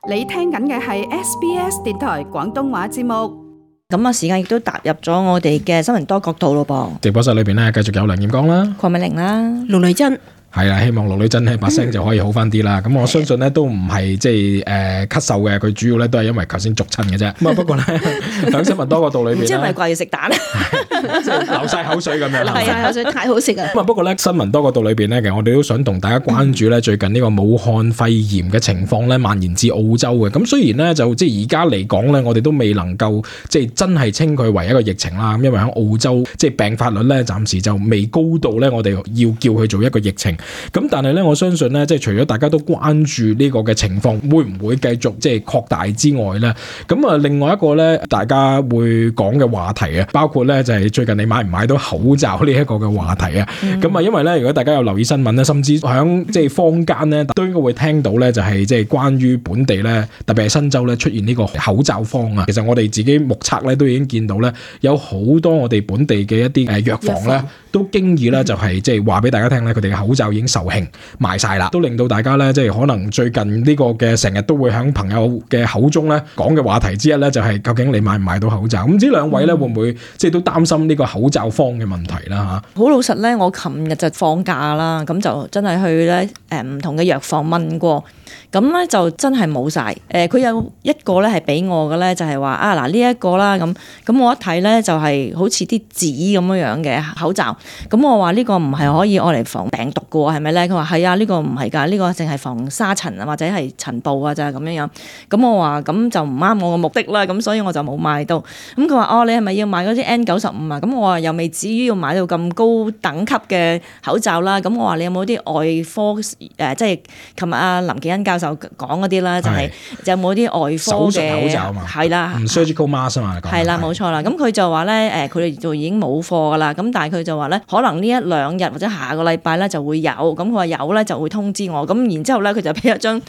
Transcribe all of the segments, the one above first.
你聽緊嘅係 SBS 電台廣東話節目。咁啊，時間亦都踏入咗我哋嘅新聞多角度咯噃。直播室裏邊咧，繼續有梁艷剛啦、鄺美玲啦、盧麗珍。係啦，希望陸女真咧把聲就可以好翻啲啦。咁我相信咧都唔係即係咳嗽嘅，佢主要咧都係因為頭先逐親嘅啫。咁啊不過咧喺新聞多角度裏邊，唔知係咪掛住食蛋咧，即係流晒口水咁樣。流晒口水太好食啊！咁啊不過咧新聞多角度裏邊咧，其實我哋都想同大家關注咧最近呢個武漢肺炎嘅情況咧蔓延至澳洲嘅。咁雖然咧就即係而家嚟講咧，我哋都未能夠即係真係稱佢為一個疫情啦。咁因為喺澳洲即係病發率咧暫時就未高到咧，我哋要叫佢做一個疫情。咁但係咧，我相信咧，即係除咗大家都關注呢個嘅情況會唔會繼續即係擴大之外咧，咁啊另外一個咧，大家會講嘅話題啊，包括咧就係最近你買唔買到口罩呢一個嘅話題啊。咁啊，因為咧，如果大家有留意新聞咧，甚至響即係坊間咧，都應該會聽到咧，就係即係關於本地咧，特別係新州咧出現呢個口罩荒啊。其實我哋自己目測咧，都已經見到咧，有好多我哋本地嘅一啲藥房咧，都經已咧就係即係話俾大家聽咧，佢哋嘅口罩已經售罄賣晒啦，都令到大家咧即係可能最近呢個嘅成日都會響朋友嘅口中咧講嘅話題之一咧，就係究竟你買唔買到口罩？咁唔知兩位咧會唔會即係都擔心呢個口罩荒嘅問題啦嚇？好老實咧，我琴日就放假啦，咁就真係去咧唔同嘅藥房問過。咁咧就真係冇晒。佢有一個咧係俾我嘅咧，就係話啊嗱呢一個啦咁我一睇咧就係好似啲紙咁樣嘅口罩。咁我話呢個唔係可以愛嚟防病毒嘅喎，係咪咧？佢話係啊，呢個唔係㗎，呢個淨係防沙塵啊或者係塵布啊咋咁樣樣。咁我話咁就唔啱我嘅目的啦，咁所以我就冇買到。咁佢話哦，你係咪要買嗰啲 N95啊？咁我話又未至於要買到咁高等級嘅口罩啦。咁我話你有冇啲外科即係琴日阿林紀恩教授講嗰啲啦，就係有冇啲外科手術口罩嘛？係啦，surgical mask 嘛，係啦，冇錯啦。咁佢就話咧，佢哋就已經冇貨噶啦。咁但係佢就話咧，可能呢一兩日或者下個禮拜咧就會有。咁佢話有咧就會通知我。咁然之後咧，佢就俾一張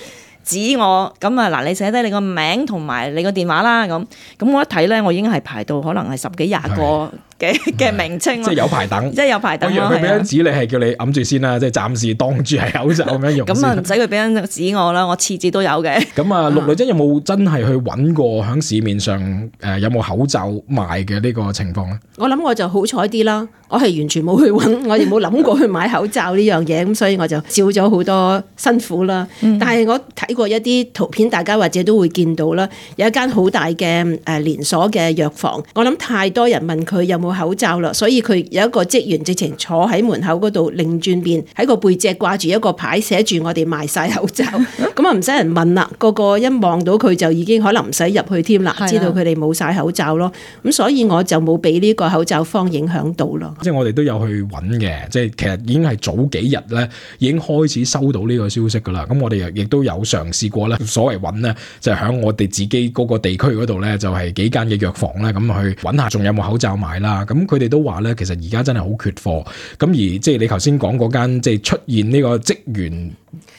紙我。咁啊嗱，你寫低你個名同埋你個電話啦。咁我一睇咧，我已經係排到可能係10幾20個嘅名稱，即係有排等，即係有排等咯。佢俾張紙你係叫你揞住先啦，即係暫時當住係口罩咁樣用。咁啊唔使佢俾張紙我啦，我次次都有嘅。咁啊，陸女真有冇真係去揾過喺市面上有冇口罩賣嘅呢個情況咧？我諗我就好彩啲啦，我係完全冇去揾，我哋冇諗過去買口罩呢樣嘢，咁所以我就少咗好多辛苦啦。但係我睇過一啲圖片，大家或者都會見到啦，有一間好大嘅連鎖嘅藥房，我諗太多人問佢有冇口罩啦，所以佢有一個職員直情坐喺門口嗰度，擰轉面喺個背脊掛住一個牌，寫住我哋賣晒口罩，咁啊唔使人問啦，個個一望到佢就已經可能唔使入去添啦，知道佢哋冇晒口罩咯。咁所以我就冇俾呢個口罩荒影響到咯。即係我哋都有去揾嘅，即係其實已經係早幾日咧已經開始收到呢個消息噶啦。咁我哋亦都有嘗試過咧，所謂揾咧就係喺我哋自己嗰個地區嗰度咧，就係幾間嘅藥房咧咁去揾下仲有冇口罩賣啦。咁佢哋都話咧，其實而家真係好缺貨。咁而即係你頭先講嗰間即係出現呢個職員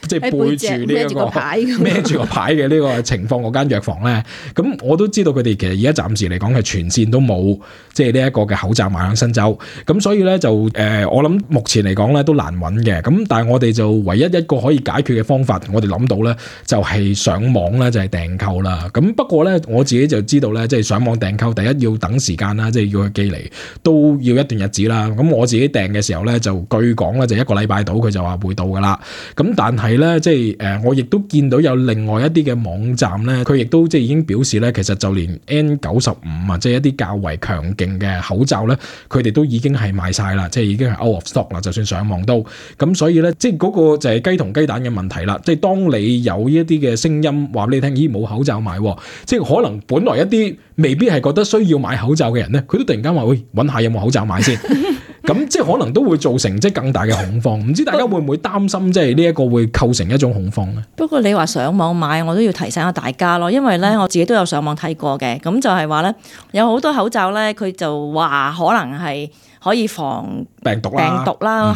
即係背住呢一個孭住個牌嘅呢個情況嗰間藥房咧，咁我都知道佢哋其實而家暫時嚟講係全線都冇即係呢一個嘅口罩賣喺新州。咁所以咧就我諗目前嚟講咧都難揾嘅。咁但係我哋就唯一一個可以解決嘅方法，我哋諗到咧就係上網咧就係訂購啦。咁不過咧我自己就知道咧，即係上網訂購第一要等時間啦，即係要佢寄嚟都要一段日子啦。咁我自己訂嘅時候咧就據講咧就1個禮拜到佢就話會到噶啦。咁但係咧即係我亦都見到有另外一啲嘅網站咧，佢亦都即係已經表示咧，其實就連 N95啊，即係一啲較為強勁嘅口罩咧，佢哋都已經係賣晒啦，即係已經係 out of stock 啦。就算上網都咁，所以咧即係嗰個就係雞同雞蛋嘅問題啦。即係當你有呢一啲嘅聲音話俾你聽，咦冇口罩買，即係可能本來一啲未必係覺得需要買口罩嘅人咧，佢都突然間話喂，揾下有冇口罩買先。咁即係可能都會造成即係更大嘅恐慌，唔知大家會唔會擔心即係呢一個會構成一種恐慌咧？不過你話上網買，我都要提醒下大家咯，因為咧我自己都有上網睇過嘅，咁就係話咧有好多口罩咧，佢就話可能係可以防病毒啦，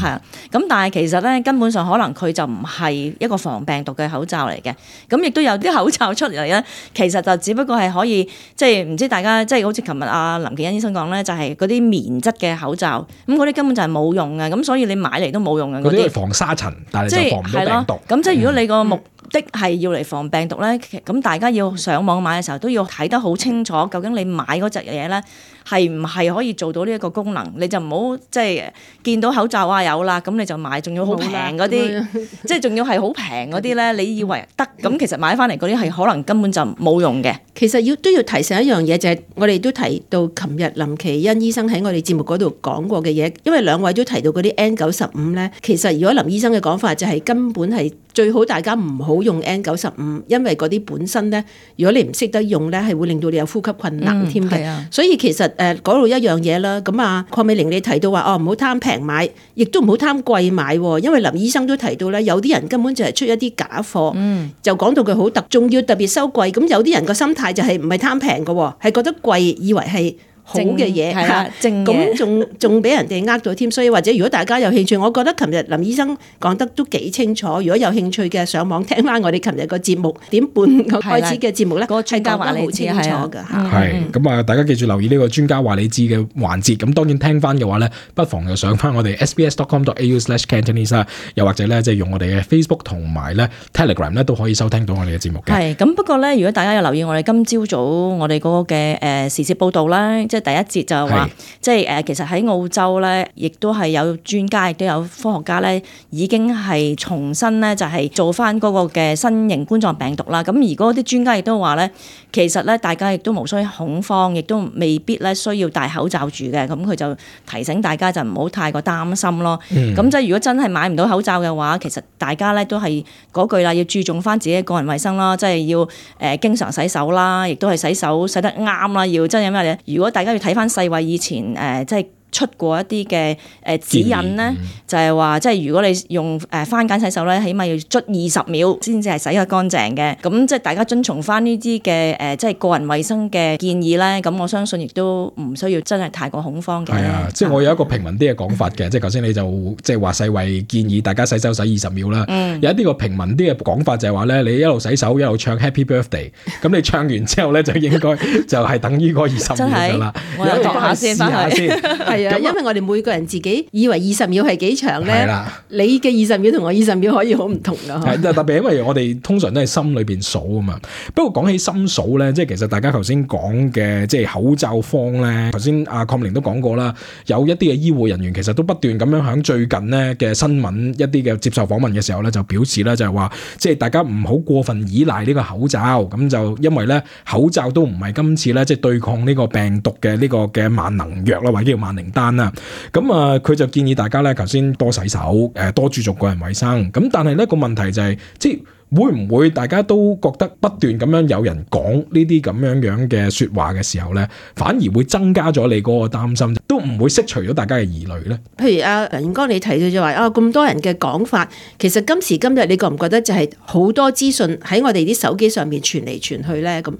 係啊。咁但係其實咧根本上可能佢就唔係一個防病毒嘅口罩嚟嘅。咁亦都有啲口罩出嚟咧，其實就只不過係可以即係唔知大家即係好似琴日阿林紀恩醫生講咧，就係嗰啲棉質嘅口罩，咁嗰啲根本就係冇用嘅。咁所以你買嚟都冇用嘅。嗰啲係防沙塵，但係就防唔到病毒。咁即係如果你個的係要嚟防病毒咧，咁大家要上網買嘅時候都要睇得好清楚，究竟你買嗰隻嘢咧係唔係可以做到呢一個功能？你就唔好即係見到口罩有啦，咁你就買，仲要好平嗰啲，即係仲要係好平嗰啲咧，你以為得，咁其實買翻嚟嗰啲係可能根本就冇用嘅。其實都要提醒一樣嘢，就係我哋都提到琴日林奇恩醫生喺我哋節目嗰度講過嘅嘢，因為兩位都提到嗰啲 N95咧，其實如果林醫生嘅講法就係根本係最好大家唔好用 N95，因為嗰啲本身咧，如果你唔識得用咧，係會令到你有呼吸困難添嘅。所以其實嗰度一樣嘢啦。咁啊，鄺美玲你提到話唔好貪平買，亦都唔好貪貴買，因為林醫生都提到咧，有啲人根本就係出一啲假貨，就講到佢好仲要特別收貴。咁有啲人個心態就係唔係貪平嘅，係覺得貴，以為係好嘅嘢，咁仲俾人哋呃到添。所以或者如果大家有興趣，我覺得琴日林醫生講得都幾清楚。如果有興趣嘅，上網聽翻我哋琴日個節目點半開始嘅節目咧，個專家話你知好清楚㗎。係咁啊！大家記住留意呢個專家話你知嘅環節。咁當然聽翻嘅話咧，不妨就上翻我哋 sbs.com.au/Cantonese 啦，又或者咧即係用我哋嘅 Facebook 同埋咧 Telegram 咧都可以收聽到我哋嘅節目嘅。係咁，不過咧，如果大家有留意我哋今朝早我哋嗰個嘅時事報導啦，即係第一節就係話，即係其實喺澳洲咧，亦都係有專家，亦都有科學家咧，已經係重新咧就係做翻嗰個嘅新型冠狀病毒啦。咁而嗰啲專家亦都話咧，其實咧大家亦都無需恐慌，亦都未必咧需要戴口罩住嘅。咁佢就提醒大家就唔好太過擔心咯。咁即係如果真係買唔到口罩嘅話，其實大家咧都係嗰句啦，要注重翻自己嘅個人衛生啦，即係要經常洗手啦，亦都係洗手洗得啱啦。要真係咩咧？如果大家要睇翻世衛以前即係出過一啲嘅指引咧，就係話即係如果你用番梘洗手咧，起碼要捽20秒先至係洗得乾淨嘅。咁即係大家遵從翻呢啲嘅即係個人衛生嘅建議咧，咁我相信亦都唔需要真係太過恐慌嘅。係啊，即係我有一個平民啲嘅講法嘅，即係頭先你就即係話世衛建議大家洗手洗20秒啦。有一啲個平民啲嘅講法就係話咧，你一路洗手一路唱 Happy Birthday， 咁你唱完之後咧就應該就係等於嗰20秒㗎啦。我有學下先翻去。係啊，因為我哋每個人自己以為20秒係幾長咧，你嘅20秒同我20秒可以好唔同噶。係特別因為我哋通常都係心裏邊數啊嘛。不過講起心數咧，即係其實大家頭先講嘅即係口罩荒咧，頭先阿鄺明都講過啦，有一啲嘅醫護人員其實都不斷咁樣響最近呢嘅新聞一啲嘅接受訪問嘅時候咧，就表示咧就係話，即係大家唔好過分依賴呢個口罩，咁就因為咧口罩都唔係今次咧即係對抗呢個病毒嘅呢個嘅萬能藥啦，或者叫萬靈丹啦。咁啊，佢就建議大家咧，頭先多洗手，多注重個人衛生。咁但係咧個問題就係，即係會唔會大家都覺得不斷咁樣有人講呢啲咁樣嘅說話嘅時候咧，反而會增加咗你嗰個擔心，都唔會釋除咗大家嘅疑慮咧？譬如阿梁哥你提到就話咁多人嘅講法，其實今時今日你覺唔覺得就係好多資訊喺我哋啲手機上面傳嚟傳去咧？咁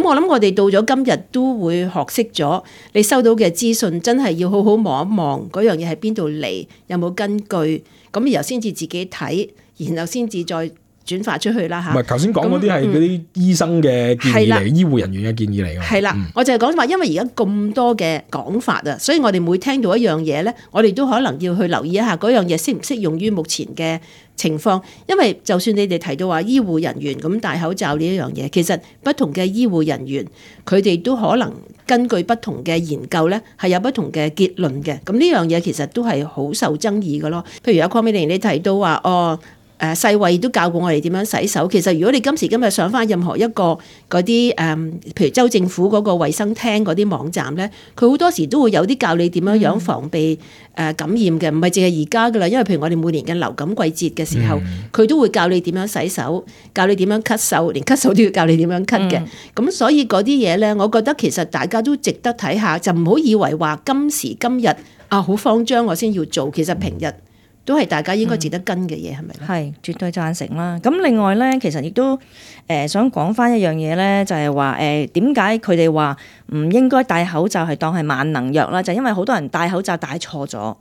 我諗我哋到咗今日都會學識咗，你收到嘅資訊真係要好好望一望嗰樣嘢係邊度嚟，有冇根據，咁然後先至自己睇，然後先至再轉發出去啦嚇。唔係頭先講嗰啲係嗰啲醫生嘅建議嚟，醫護人員嘅建議嚟㗎。係啦，我就係講話，因為而家咁多嘅講法啊，所以我哋每聽到一樣嘢咧，我哋都可能要去留意一下嗰樣嘢適唔適用於目前嘅情況。因為就算你哋提到話醫護人員咁戴口罩呢一樣嘢，其實不同嘅醫護人員佢哋都可能根據不同嘅研究咧，係有不同嘅結論嘅。咁呢樣嘢其實都係好受爭議嘅咯。譬如阿鄺美玲你提到話世衛都教過我哋點樣洗手。其實如果你今時今日上翻任何一個嗰啲譬如州政府嗰個衛生廳嗰啲網站咧，佢好多時都會有啲教你點樣樣防備感染嘅，唔係淨係而家噶啦。因為譬如我哋每年嘅流感季節嘅時候，佢都會教你點樣洗手，教你點樣咳嗽，連咳嗽都要教你點樣咳嘅。咁所以嗰啲嘢咧，我覺得其實大家都值得睇下，就唔好以為話今時今日好慌張我先要做，其實平日都係大家應該值得跟嘅嘢，係咪咧？係，絕對贊成啦。咁另外咧，其實亦都想講翻一樣嘢咧，就係話點解佢哋話唔應該戴口罩係當係萬能藥啦？就因為好多人戴口罩戴錯咗。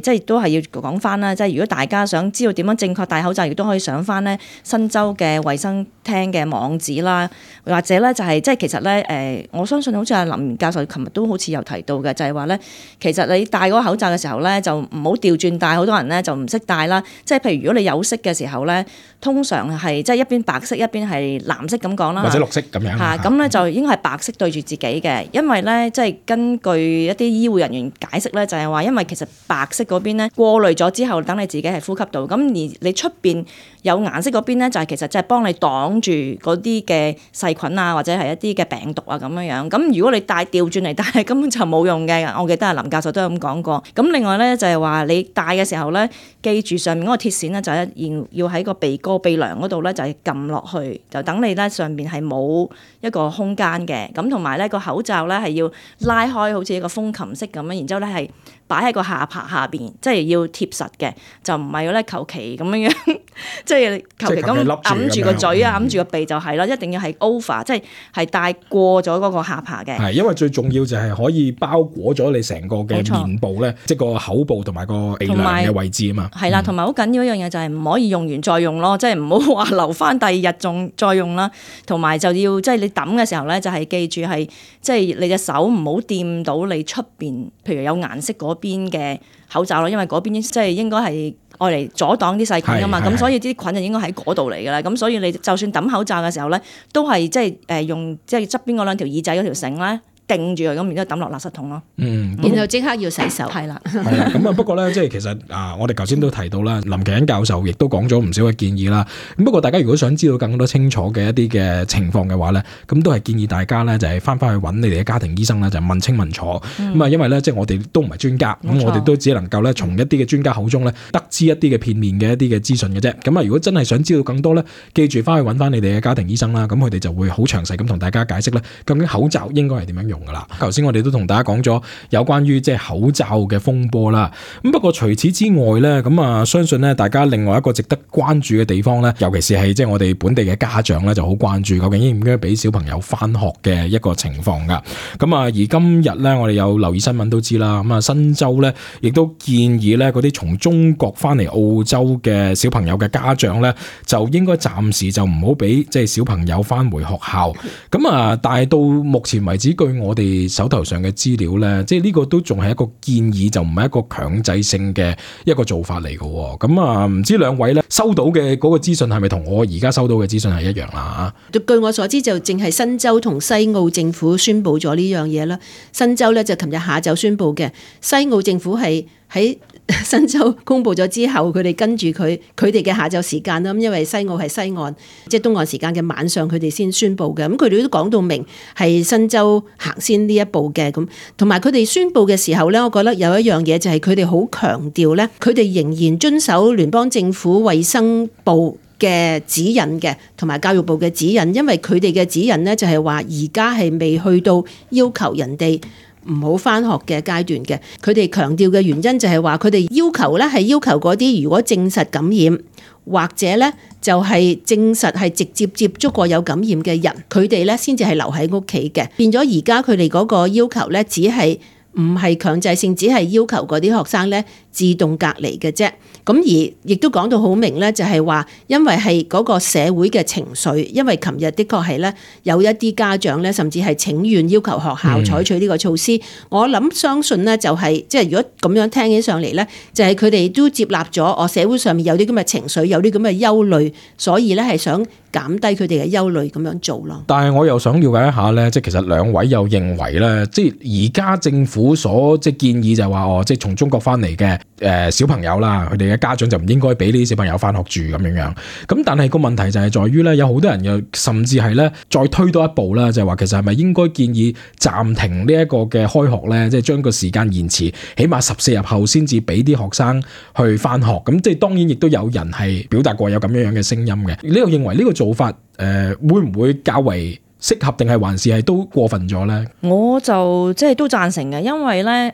即係都係要講翻啦。即係如果大家想知道點樣正確戴口罩，亦都可以上翻咧新州嘅衛生廳嘅網址啦，或者咧就係即係其實咧我相信好似阿林教授琴日都好似有提到嘅，就係話咧其實你戴嗰個口罩嘅時候咧就唔好調轉戴，好多人咧就唔識戴啦。即係譬如如果你有色嘅時候咧，通常係即係一邊白色一邊係藍色咁講啦，或者綠色咁樣嚇，咁咧就應該係白色對住自己嘅，因為咧即係根據一啲醫護人員解釋咧，就係話因為其實白色嗰邊咧過濾咗之後，等你自己係呼吸到，咁而你出邊有顏色嗰邊咧，就係其實就係幫你擋住嗰啲嘅細菌啊，或者係一啲嘅病毒啊咁樣樣。咁如果你戴調轉嚟戴，根本就冇用嘅。我記得阿林教授都有咁講過。咁另外咧就係話你戴嘅時候咧，記住上面嗰個鐵線咧就係要喺個鼻哥鼻梁嗰度咧就係撳落去，就等你咧上邊係冇一個空間嘅。咁同埋咧個口罩咧係要拉開，好似一個風琴式咁樣，然之後咧係擺喺個下巴下邊，即係要貼實嘅，就唔係咧求其咁樣樣，即係求其咁揞住個嘴啊，揞住個鼻就係啦，一定要係 over， 即係戴過咗嗰個下巴嘅。係，因為最重要就係可以包裹咗你成個嘅面部咧，即係個口部同埋個鼻梁嘅位置啊嘛。係啦，同埋好緊要一樣嘢就係唔可以用完再用咯，即係唔好話留翻第二日仲再用啦。同埋就要即係你抌嘅時候咧，就係記住係即係你隻手唔好掂到你出邊，譬如有顏色嗰邊嘅口罩咯，因為嗰邊即係應該係愛嚟阻擋啲細菌噶嘛，咁所以啲菌就應該喺嗰度嚟噶啦。咁所以你就算抌口罩嘅時候咧，都係即係用即係側邊嗰兩條耳仔嗰條繩咧定住佢，咁然之後抌落垃圾桶咯。然後即刻要洗手。係啦，係啦。咁啊，不過咧，即係其實我哋頭先都提到啦，林奇恩教授亦都講咗唔少嘅建議啦。咁不過大家如果想知道更多清楚嘅一啲嘅情況嘅話咧，咁都係建議大家咧就係翻去揾你哋嘅家庭醫生啦，就問清問楚。咁啊，因為咧即係我哋都唔係專家，咁我哋都只能夠咧從一啲嘅專家口中咧得知一啲嘅片面嘅一啲嘅資訊嘅啫。咁啊，如果真係想知道更多咧，記住翻去揾翻你哋嘅家庭醫生啦。咁佢哋就會好詳細咁同大家解釋咧，究竟口罩應該係點樣用噶啦。頭先我哋都同大家講咗有關於即係口罩嘅風波啦。咁不過除此之外咧，咁啊相信咧大家另外一個值得關注嘅地方咧，尤其是係即係我哋本地嘅家長咧就好關注，究竟應唔應該俾小朋友翻學嘅一個情況噶。咁啊而今日咧我哋有留意新聞都知啦，咁啊新州咧亦都建議咧嗰啲從中國翻嚟澳洲嘅小朋友嘅家長咧，就應該暫時就唔好俾即係小朋友翻回學校。咁啊但係到目前為止，據我哋手頭上嘅資料咧，即係呢個都仲係一個建議，就唔係一個強制性嘅一個做法嚟嘅。咁啊，唔知兩位咧收到嘅嗰個資訊係咪同我而家收到嘅資訊係一樣啦？據我所知就淨係新州同西澳政府宣布咗呢樣嘢啦。新州咧就琴日下晝宣布嘅，西澳政府係喺新州公布咗之後，佢哋跟住佢哋嘅下晝時間啦。咁因為西澳係西岸，即係東岸時間嘅晚上，佢哋先宣布嘅。咁佢哋都講到明係新州行先呢一步嘅。咁同埋佢哋宣布嘅時候咧，我覺得有一樣嘢就係佢哋好強調咧，佢哋仍然遵守聯邦政府衛生部嘅指引嘅，同埋教育部嘅指引。因為佢哋嘅指引咧就係話而家係未去到要求人哋唔好返學嘅階段嘅。佢哋強調嘅原因就係話佢哋要求咧係要求嗰啲如果證實感染或者咧就係證實係直接接觸過有感染嘅人，佢哋咧先至係留喺屋企嘅。變咗而家佢哋嗰個要求咧只係唔係強制性，只係要求嗰啲學生咧自動隔離嘅啫。咁而亦都講到好明咧，就係話因為係嗰個社會嘅情緒，因為琴日的確係咧有一啲家長咧，甚至係請願要求學校採取呢個措施。我諗相信咧就係即係如果咁樣聽起上嚟咧，就係佢哋都接納咗我社會上面有啲咁嘅情緒，有啲咁嘅憂慮，所以咧係想減低佢哋嘅憂慮咁樣做咯。但係我又想了解一下咧，即係其實兩位又認為咧，即係而家政府所即係建議就係話即係從中國翻嚟嘅小朋友啦，佢哋嘅家長就唔應該俾呢啲小朋友翻學住咁樣樣。咁但係個問題就係在於咧，有好多人又甚至係咧再推多一步啦，就係話其實係咪應該建議暫停呢一個嘅開學咧，即係將個時間延遲，起碼14日後先至俾啲學生去翻學。咁即係當然亦都有人係表達過有咁樣樣嘅聲音嘅。你又認為呢個做法會唔會較為適合，定係還是係都過分咗咧？我就即係都贊成嘅，因為咧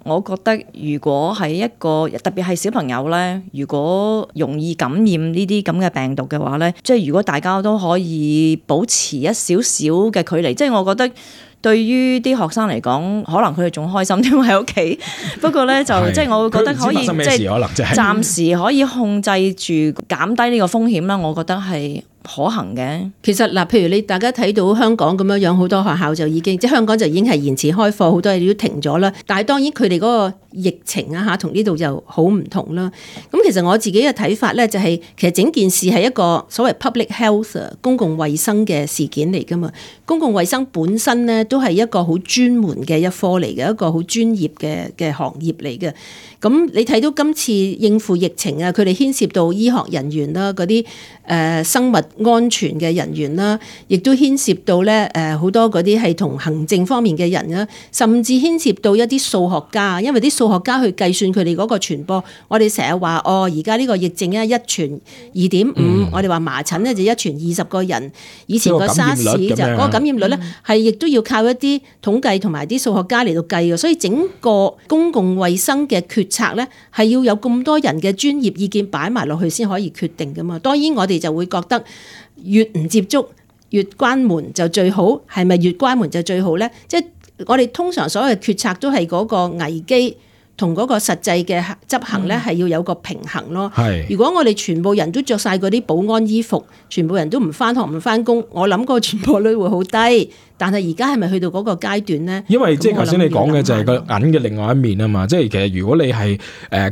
我覺得如果係一個特別係小朋友咧，如果容易感染呢啲咁嘅病毒嘅話咧，即係如果大家都可以保持一少少嘅距離，即係我覺得對於啲學生嚟講，可能佢哋仲開心添喺屋企。不過咧就即係我會覺得可以即係暫時可以控制住減低呢個風險啦。我覺得係可行嘅。其實嗱，譬如你大家睇到香港咁樣樣，好多學校就已經即係香港就已經係延遲開課，好多嘢都停咗啦。但係當然佢哋嗰個疫情啊嚇，同呢度就好唔同啦。咁其實我自己嘅睇法咧，就係其實整件事係一個所謂 public health 公共衛生嘅事件嚟噶嘛。公共衛生本身咧都係一個好專門嘅一科嚟嘅，一個好專業嘅行業嚟嘅。咁你睇到今次應付疫情啊，佢哋牽涉到醫學人員啦，嗰啲生物安全嘅人員啦，亦都牽涉到咧好多嗰啲係同行政方面嘅人啦，甚至牽涉到一啲數學家，因為啲數學家去計算佢哋嗰個傳播。我哋成日話而家呢個疫症咧一傳2.5，我哋話麻疹咧就一傳20個人，以前個沙士就嗰個感染率咧係亦都要靠一啲統計同埋啲數學家嚟到計嘅，所以整個公共衛生嘅決策咧係要有咁多人嘅專業意見擺埋落去先可以決定噶嘛。當然我哋就會覺得越唔接觸越關門就最好，係咪越關門就最好咧？即係我哋通常所有嘅決策都係嗰個危機同嗰個實際嘅執行咧係要有個平衡咯。如果我哋全部人都着晒嗰啲保安衣服，全部人都唔返學唔返工，我諗個傳播率會好低。但係而家係咪去到嗰個階段咧？因為即係頭先你講嘅就係個銀嘅另外一面啊嘛，即係其實如果你係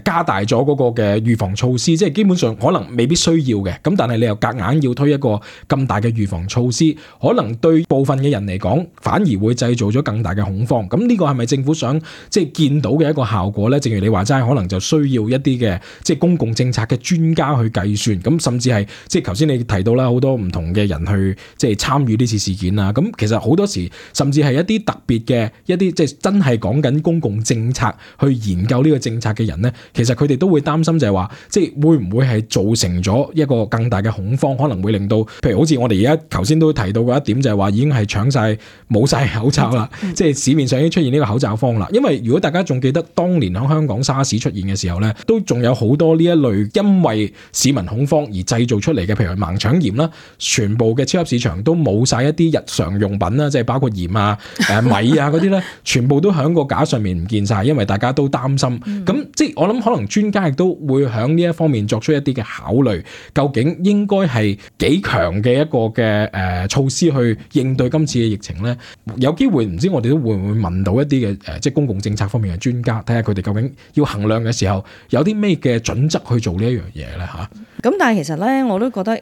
加大咗嗰個嘅預防措施，即係基本上可能未必需要嘅，咁但係你又夾硬要推一個咁大嘅預防措施，可能對部分嘅人嚟講反而會製造咗更大嘅恐慌。咁呢個係咪政府想即係見到嘅一個效果咧？正如你話齋，可能就需要一啲嘅即係公共政策嘅專家去計算，咁甚至係即係頭先你提到啦，好多唔同嘅人去即係參與呢次事件啊。咁其實好多時甚至係一啲特別嘅一啲即係真係講緊公共政策去研究呢個政策嘅人咧，其實佢哋都會擔心就係話，即係會唔會係造成咗一個更大嘅恐慌，可能會令到譬如好似我哋而家頭先都提到過一點，就係話已經係搶晒冇晒口罩啦，即係市面上已經出現呢個口罩荒啦。因為如果大家仲記得當年喺香港沙士出現嘅時候咧，都仲有好多呢一類因為市民恐慌而製造出嚟嘅，譬如盲腸炎啦，全部嘅超級市場都冇晒一啲日常用品啦，即係包括鹽啊、米啊嗰啲咧，全部都喺個架上面唔見晒，因為大家都擔心。咁即係我諗，可能專家亦都會喺呢一方面作出一啲嘅考慮，究竟應該係幾強嘅一個嘅措施去應對今次嘅疫情咧？有機會唔知我哋都會唔會問到一啲嘅即係公共政策方面嘅專家，睇下佢哋究竟要衡量嘅時候有啲咩嘅準則去做呢一樣嘢咧嚇。咁但係其實咧，我都覺得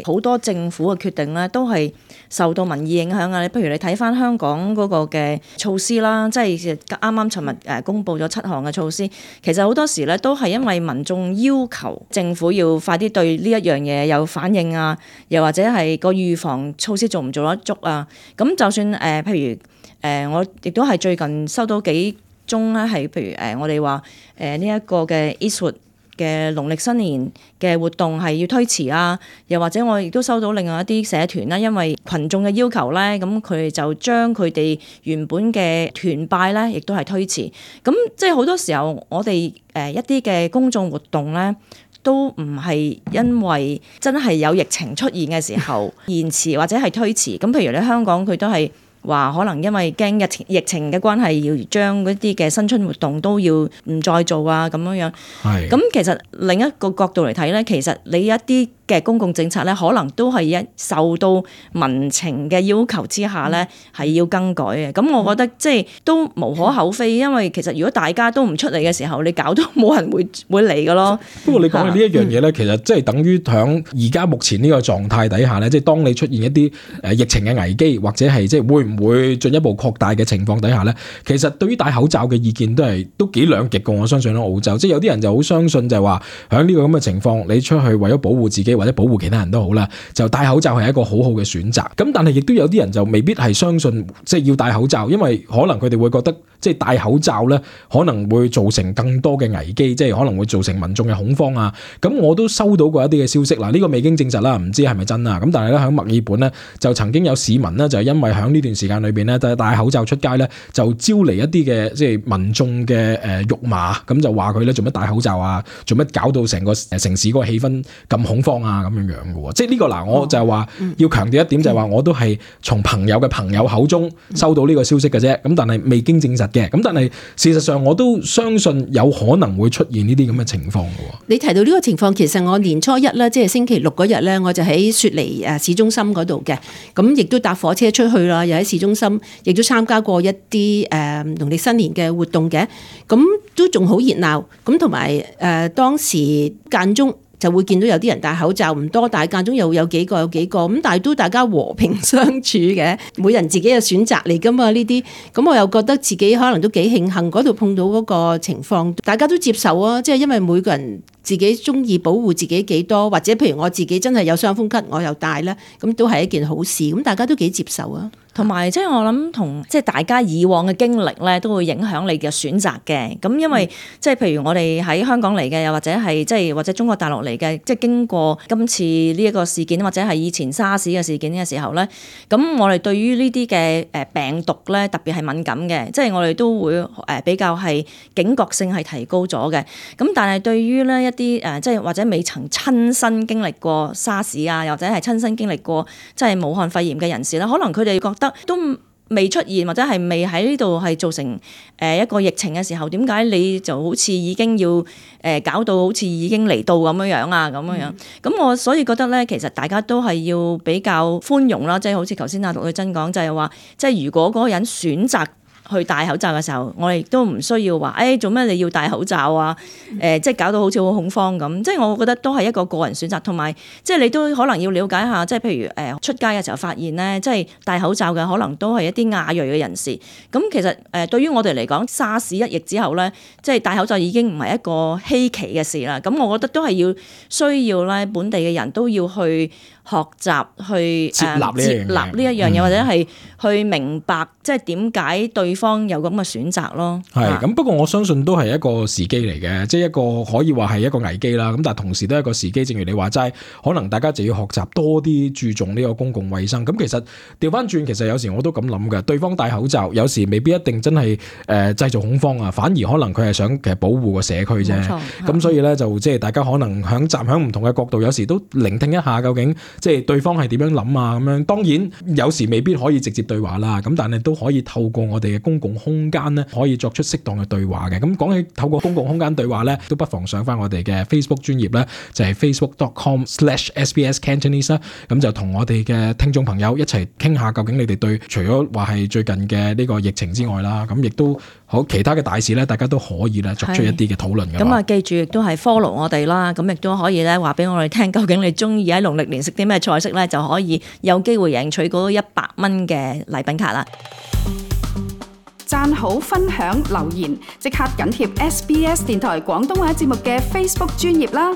好多政府嘅決定咧，都係受到民意影響啊。譬如你睇翻香港嗰個嘅措施啦，即係啱啱尋日公布咗7項嘅措施，其實好多時咧都係因為民眾要求政府要快啲對呢一樣嘢有反應啊，又或者係個預防措施做唔做得足啊。咁就算譬如我亦都係最近收到幾宗咧，係譬如我哋話呢一個嘅 Eastwood嘅農曆新年嘅活動係要推遲啊，又或者我亦都收到另外一啲社團啦，因為群眾嘅要求咧，咁佢哋就將佢哋原本嘅團拜咧，亦都係推遲。咁即係好多時候，我哋一啲嘅公眾活動咧，都唔係因為真係有疫情出現嘅時候延遲或者係推遲。咁譬如你香港佢都係話可能因為驚疫情嘅關係，要將嗰啲嘅新春活動都要唔再做啊，咁樣樣。係。咁其實另一個角度嚟睇咧，其實你一啲嘅公共政策咧，可能都係受到民情嘅要求之下咧，係要更改嘅。咁我覺得即係都無可厚非，因為其實如果大家都唔出嚟嘅時候，你搞到冇人會嚟嘅咯。不過你講嘅呢一樣嘢咧，其實即係等於響而家目前呢個狀態底下咧，即係當你出現一啲疫情嘅危機，或者係即係會唔會進一步擴大嘅情況底下咧，其實對於戴口罩嘅意見都幾兩極嘅。我相信喺澳洲，即係有啲人就好相信就係話喺呢個咁嘅情況，你出去為咗保護自己或者保護其他人都好啦，就戴口罩係一個好好嘅選擇。咁但係亦都有啲人就未必係相信即係要戴口罩，因為可能佢哋會覺得即係戴口罩咧可能會造成更多嘅危機，即係可能會造成民眾嘅恐慌啊。咁我都收到過一啲嘅消息啦，呢個未經證實啦，唔知係咪真啊。咁但係咧喺墨爾本咧就曾經有市民咧就係因為喺呢段時間裏邊咧戴口罩出街咧，就招嚟一啲嘅即係民眾嘅辱罵，咁就話佢咧做乜戴口罩啊，做乜搞到成個城市嗰個氣氛咁恐慌啊咁樣嘅喎。即係呢個嗱，我就係話要強調一點，就係話我都係從朋友嘅朋友口中收到呢個消息嘅啫。咁但係未經證實嘅。咁但係事實上我都相信有可能會出現呢啲咁嘅情況嘅。你提到呢個情況，其實我年初一咧，即係星期六嗰日咧，我就喺雪梨市中心嗰度嘅，咁亦都搭火車出去啦，又喺市中心，亦都參加過一啲農曆新年嘅活動嘅，咁都仲好熱鬧，咁同埋當時間中就會見到有啲人戴口罩，唔多，但係間中又有幾個咁，但係都大家和平相處嘅，每人自己嘅選擇嚟噶嘛呢啲，咁我又覺得自己可能都幾慶幸嗰度碰到嗰個情況，大家都接受啊，即係因為每個人自己中意保護自己幾多，或者譬如我自己真係有傷風咳，我又戴咧，咁都係一件好事，咁大家都幾接受啊。同埋即係我諗同即係大家以往嘅經歷咧，都會影響你嘅選擇嘅。咁因為即係譬如我哋喺香港嚟嘅，又或者係即係或者中國大陸嚟嘅，即係經過今次呢一個事件，或者係以前沙士嘅事件嘅時候咧，咁我哋對於呢啲嘅病毒咧，特別係敏感嘅，即係我哋都會比較係警覺性係提高咗嘅。咁但係對於咧一啲即係或者未曾親身經歷過沙士啊，或者係親身經歷過即係武漢肺炎嘅人士咧，可能佢哋覺得都未出現或者係未喺呢度係造成一個疫情嘅時候，點解你就好似已經要搞到好似已經嚟到咁樣啊咁樣？咁我所以覺得咧，其實大家都係要比較寬容啦，即係好似頭先阿陸女真講，就係話，即係如果嗰個人選擇去戴口罩嘅時候，我哋都唔需要話，做咩你要戴口罩啊？即係搞到好似好恐慌咁。即係我覺得都係一個個人選擇，同埋即係你都可能要了解下，即係譬如出街嘅時候發現咧，即係戴口罩嘅可能都係一啲亞裔嘅人士。咁其實對於我哋嚟講，沙士一役之後咧，即係戴口罩已經唔係一個稀奇嘅事啦。咁我覺得都係需要咧，本地嘅人都要去學習去接納呢一樣嘢，或者係去明白即係點解對方有咁嘅選擇咯。係咁，不過我相信都係一個時機嚟嘅，即係一個可以話係一個危機啦。咁但係同時都係一個時機，正如你話齋，可能大家就要學習多啲注重呢個公共衛生。咁其實調翻轉，其實有時我都咁諗嘅，對方戴口罩有時未必一定真係製造恐慌啊，反而可能佢係想其實保護個社區啫。咁所以咧就即係大家可能站喺唔同嘅角度，有時都聆聽一下究竟即係對方係點樣諗啊咁樣。當然有時未必可以直接對話啦，咁但係都可以透過我哋嘅公共空間咧，可以作出適當嘅對話嘅。咁講起透過公共空間對話咧，都不妨上翻我哋嘅 Facebook 專頁咧，就係 facebook.com/sbscantonese 啦。咁就同我哋嘅聽眾朋友一齊傾下，究竟你哋對除咗話係最近嘅呢個疫情之外啦，咁亦都好其他嘅大事咧，大家都可以咧作出一啲嘅討論嘅。咁啊，記住亦都係 follow 我哋啦，咁亦都可以咧話俾我哋聽，究竟你中意喺農曆年食啲咩菜式咧，就可以有機會贏取嗰100蚊嘅禮品卡啦。讚好、分享、留言，即刻緊貼SBS 電台廣東話節目嘅 Facebook 專頁啦！